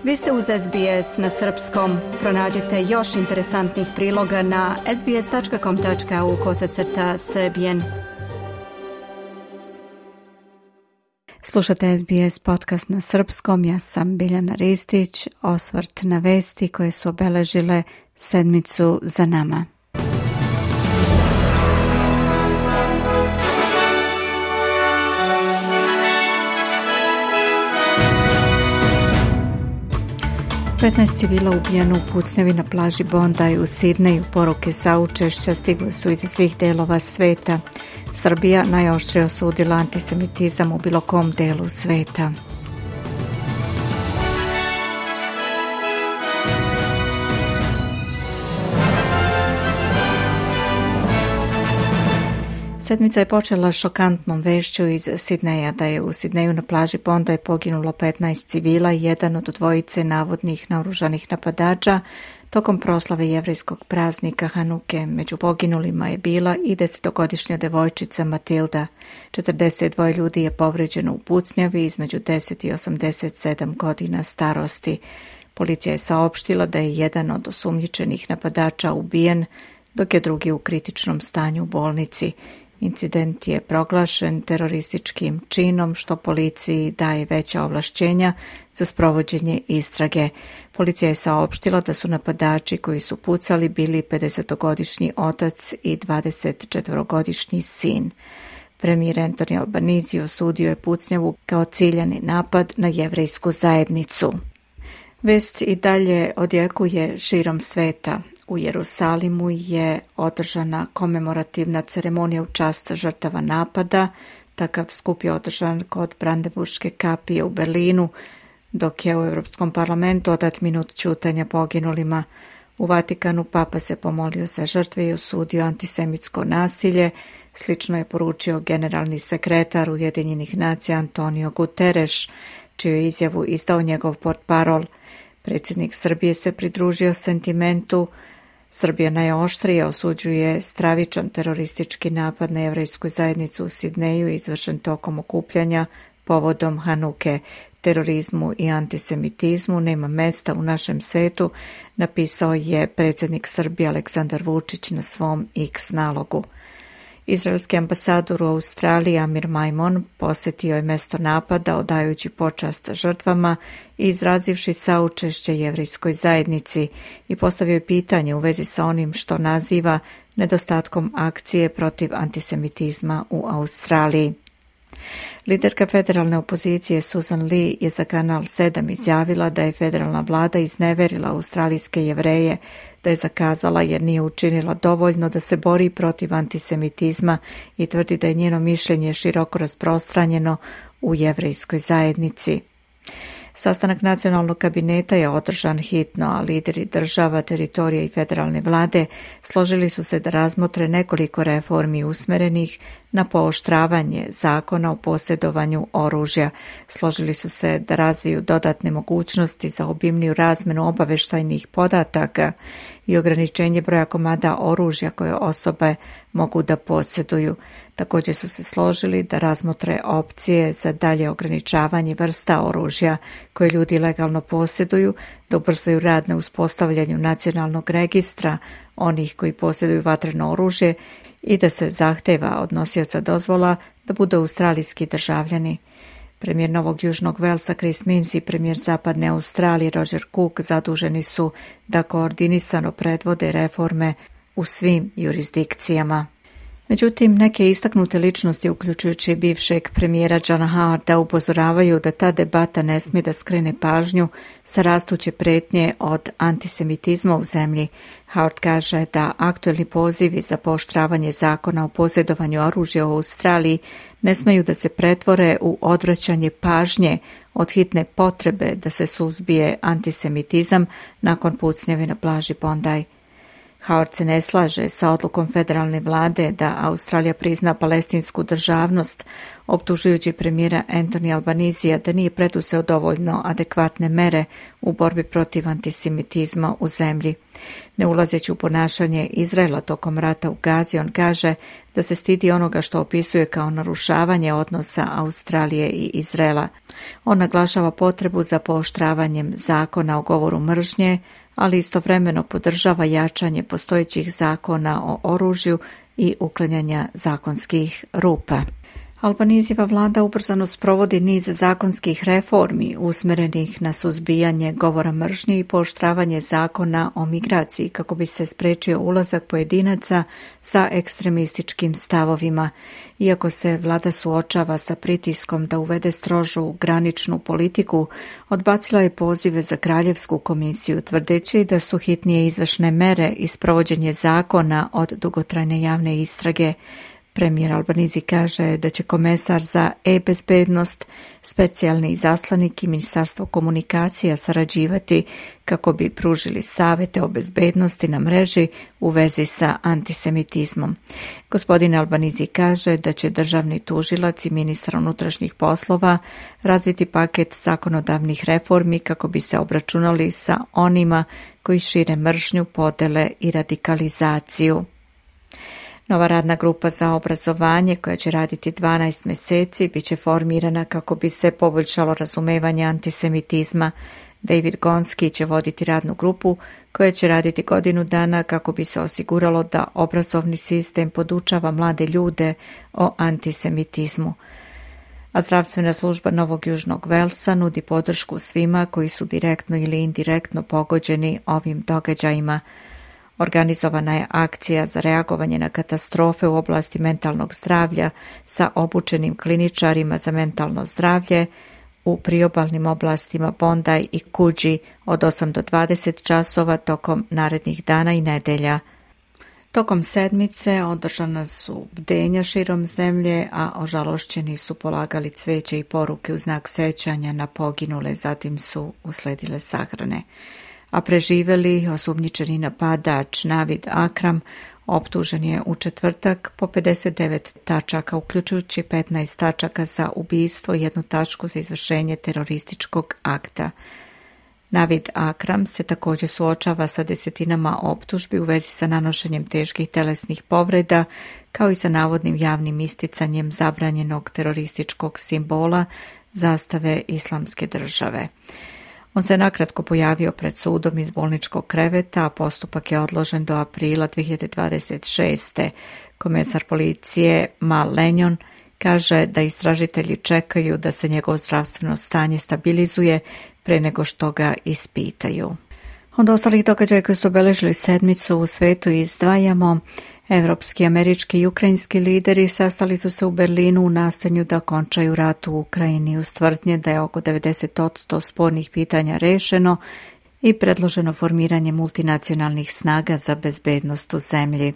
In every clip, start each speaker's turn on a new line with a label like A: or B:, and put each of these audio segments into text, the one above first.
A: Vi ste uz SBS na srpskom. Pronađite još interesantnih priloga na sbs.com.au/srbijen. Slušate SBS podcast na srpskom. Ja sam Biljana Ristić. Osvrt na vesti koje su obeležile sedmicu za nama. Petnaest civila ubijeno u pucnjavi na plaži Bondi u Sidneju. Poruke saučešća stigle su iz svih delova sveta. Srbija najoštrije osudila antisemitizam u bilo kom delu sveta. Sedmica je počela šokantnom vešću iz Sidneja da je u Sidneju na plaži Bondi poginulo 15 civila i jedan od dvojice navodnih naoružanih napadača tokom proslave jevrejskog praznika Hanuke. Među poginulima je bila i 10-godišnja devojčica Matilda. 42 ljudi je povređeno u pucnjavi između 10 i 87 godina starosti. Policija je saopštila da je jedan od osumnjičenih napadača ubijen, dok je drugi u kritičnom stanju u bolnici. Incident je proglašen terorističkim činom, što policiji daje veća ovlašćenja za sprovođenje istrage. Policija je saopštila da su napadači koji su pucali bili 50-godišnji otac i 24-godišnji sin. Premijer Anthony Albanese osudio je pucnjavu kao ciljani napad na jevrejsku zajednicu. Vest i dalje odjekuje širom sveta. U Jerusalimu je održana komemorativna ceremonija u čast žrtava napada. Takav skup je održan kod Brandenburške kapije u Berlinu, dok je u Europskom parlamentu odat minut ćutanja poginulima. U Vatikanu papa se pomolio za žrtve i osudio antisemitsko nasilje. Slično je poručio generalni sekretar Ujedinjenih nacija Antonio Guterres, čiju je izjavu izdao njegov portparol. Predsjednik Srbije se pridružio sentimentu. Srbija najoštrije osuđuje stravičan teroristički napad na jevrejsku zajednicu u Sidneju izvršen tokom okupljanja povodom Hanuke. Terorizmu i antisemitizmu nema mesta u našem svetu, napisao je predsjednik Srbije Aleksandar Vučić na svom X nalogu. Izraelski ambasador u Australiji Amir Maimon posjetio je mjesto napada odajući počast žrtvama i izrazivši saučešće jevrejskoj zajednici i postavio je pitanje u vezi sa onim što naziva nedostatkom akcije protiv antisemitizma u Australiji. Liderka federalne opozicije Susan Lee je za Kanal 7 izjavila da je federalna vlada izneverila australijske Jevreje, da je zakazala jer nije učinila dovoljno da se bori protiv antisemitizma i tvrdi da je njeno mišljenje široko rasprostranjeno u jevrejskoj zajednici. Sastanak nacionalnog kabineta je održan hitno, a lideri država, teritorija i federalne vlade složili su se da razmotre nekoliko reformi usmerenih na pooštravanje zakona o posjedovanju oružja. Složili su se da razviju dodatne mogućnosti za obimniju razmenu obavještajnih podataka i ograničenje broja komada oružja koje osobe mogu da posjeduju. Također su se složili da razmotre opcije za dalje ograničavanje vrsta oružja koje ljudi legalno posjeduju, da ubrzaju rad na uspostavljanju nacionalnog registra onih koji posjeduju vatreno oružje i da se zahteva od nosioca dozvola da budu australijski državljani. Premijer Novog Južnog Velsa Chris Minns i premijer Zapadne Australije Roger Cook zaduženi su da koordinisano predvode reforme u svim jurisdikcijama. Međutim, neke istaknute ličnosti, uključujući bivšeg premijera Johna Howarda, upozoravaju da ta debata ne smije da skrene pažnju sa rastuće pretnje od antisemitizma u zemlji. Howard kaže da aktuelni pozivi za pooštravanje zakona o posjedovanju oružja u Australiji ne smeju da se pretvore u odvraćanje pažnje od hitne potrebe da se suzbije antisemitizam nakon pucnjave na plaži Bondi. Howard se ne slaže sa odlukom federalne vlade da Australija prizna palestinsku državnost, optužujući premijera Anthony Albanizija da nije preduzeo dovoljno adekvatne mere u borbi protiv antisemitizma u zemlji. Ne ulazeći u ponašanje Izraela tokom rata u Gazi, on kaže da se stidi onoga što opisuje kao narušavanje odnosa Australije i Izraela. On naglašava potrebu za pooštravanjem zakona o govoru mržnje, ali istovremeno podržava jačanje postojećih zakona o oružju i uklanjanja zakonskih rupa. Albanizijeva vlada ubrzano sprovodi niz zakonskih reformi usmerenih na suzbijanje govora mržnje i pooštravanje zakona o migraciji kako bi se spriječio ulazak pojedinaca sa ekstremističkim stavovima. Iako se vlada suočava sa pritiskom da uvede strožu graničnu politiku, odbacila je pozive za Kraljevsku komisiju, tvrdeći da su hitnije izvršne mere i sprovođenje zakona od dugotrajne javne istrage. Premijer Albanizi kaže da će komesar za e-bezbednost, specijalni izaslanik i Ministarstvo komunikacija sarađivati kako bi pružili savjete o bezbednosti na mreži u vezi sa antisemitizmom. Gospodin Albanizi kaže da će državni tužilac i ministar unutrašnjih poslova razviti paket zakonodavnih reformi kako bi se obračunali sa onima koji šire mržnju, podele i radikalizaciju. Nova radna grupa za obrazovanje, koja će raditi 12 mjeseci, bit će formirana kako bi se poboljšalo razumevanje antisemitizma. David Gonski će voditi radnu grupu koja će raditi godinu dana kako bi se osiguralo da obrazovni sistem podučava mlade ljude o antisemitizmu. A zdravstvena služba Novog Južnog Velsa nudi podršku svima koji su direktno ili indirektno pogođeni ovim događajima. Organizovana je akcija za reagovanje na katastrofe u oblasti mentalnog zdravlja sa obučenim kliničarima za mentalno zdravlje u priobalnim oblastima Bondi i Coogee od 8 do 20 časova tokom narednih dana i nedelja. Tokom sedmice održana su bdenja širom zemlje, a ožalošćeni su polagali cveće i poruke u znak sećanja na poginule, zatim su usledile sahrane. A preživeli osumnjičeni napadač Navid Akram optužen je u četvrtak po 59 tačaka, uključujući 15 tačaka za ubistvo i 1 tačku za izvršenje terorističkog akta. Navid Akram se također suočava sa desetinama optužbi u vezi sa nanošenjem teških telesnih povreda, kao i sa navodnim javnim isticanjem zabranjenog terorističkog simbola zastave Islamske države. On se nakratko pojavio pred sudom iz bolničkog kreveta, a postupak je odložen do aprila 2026. Komesar policije Mal Lenjon kaže da istražitelji čekaju da se njegovo zdravstveno stanje stabilizuje pre nego što ga ispitaju. Od ostalih događaja koji su obeležili sedmicu u svetu izdvajamo: evropski, američki i ukrajinski lideri sastali su se u Berlinu u nastojanju da okončaju rat u Ukrajini uz tvrdnje da je oko 90% spornih pitanja rešeno i predloženo formiranje multinacionalnih snaga za bezbednost u zemlji.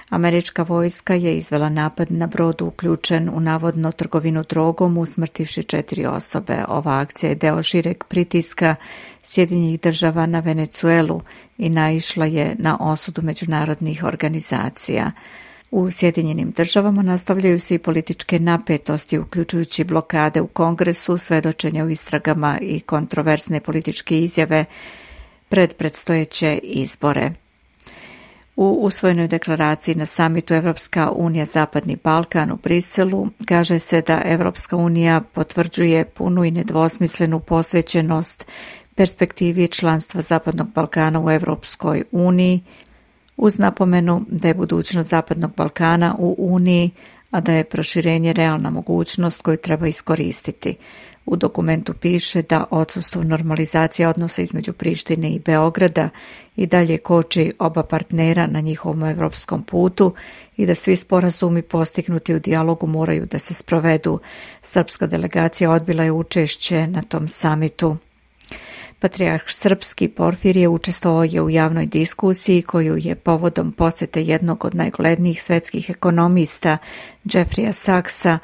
A: Američka vojska je izvela napad na brod uključen u navodno trgovinu drogom, usmrtivši 4 osobe. Ova akcija je deo šireg pritiska Sjedinjenih država na Venecuelu i naišla je na osudu međunarodnih organizacija. U Sjedinjenim državama nastavljaju se i političke napetosti, uključujući blokade u Kongresu, svedočenja u istragama i kontroverzne političke izjave pred predstojeće izbore. U usvojenoj deklaraciji na samitu Evropska unija Zapadni Balkan u Briselu kaže se da Evropska unija potvrđuje punu i nedvosmislenu posvećenost perspektivi članstva Zapadnog Balkana u Evropskoj uniji, uz napomenu da je budućnost Zapadnog Balkana u Uniji, a da je proširenje realna mogućnost koju treba iskoristiti. U dokumentu piše da odsustvo normalizacije odnosa između Prištine i Beograda i dalje koči oba partnera na njihovom evropskom putu i da svi sporazumi postignuti u dijalogu moraju da se sprovedu. Srpska delegacija odbila je učešće na tom samitu. Patrijarh srpski Porfirije učestvovao je u javnoj diskusiji koju je povodom posete jednog od najuglednijih svetskih ekonomista, Jeffreya Sachsa,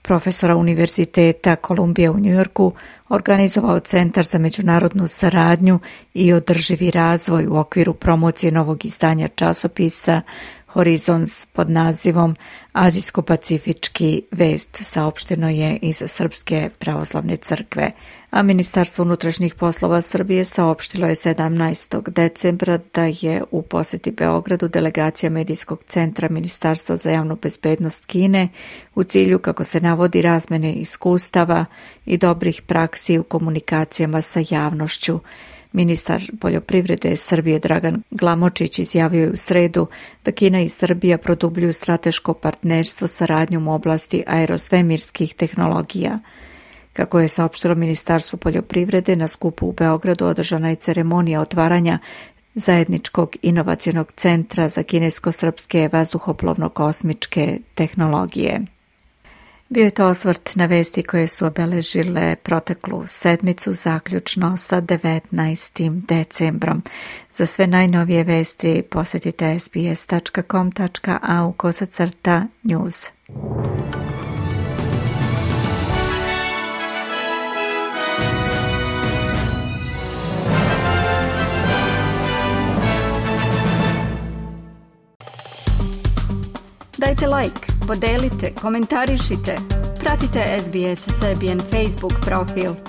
A: profesora Univerziteta Kolumbije u Njujorku, organizovao Centar za međunarodnu saradnju i održivi razvoj u okviru promocije novog izdanja časopisa Horizons pod nazivom Azijsko-pacifički vest, saopšteno je iz Srpske pravoslavne crkve, a Ministarstvo unutrašnjih poslova Srbije saopštilo je 17. decembra da je u poseti Beogradu delegacija Medijskog centra Ministarstva za javnu bezbednost Kine u cilju, kako se navodi, razmene iskustava i dobrih praksi u komunikacijama sa javnošću. Ministar poljoprivrede Srbije Dragan Glamočić izjavio je u sredu da Kina i Srbija produbljuju strateško partnerstvo saradnjom u oblasti aerosvemirskih tehnologija. Kako je saopštilo Ministarstvo poljoprivrede, na skupu u Beogradu održana je ceremonija otvaranja zajedničkog inovacionog centra za kinesko-srpske vazduhoplovno-kosmičke tehnologije. Bio je to osvrt na vesti koje su obeležile proteklu sedmicu, zaključno sa 19. decembrom. Za sve najnovije vesti posjetite sbs.com.au/news. Dajte like, podelite, komentarišite. Pratite SBS Serbian Facebook profil.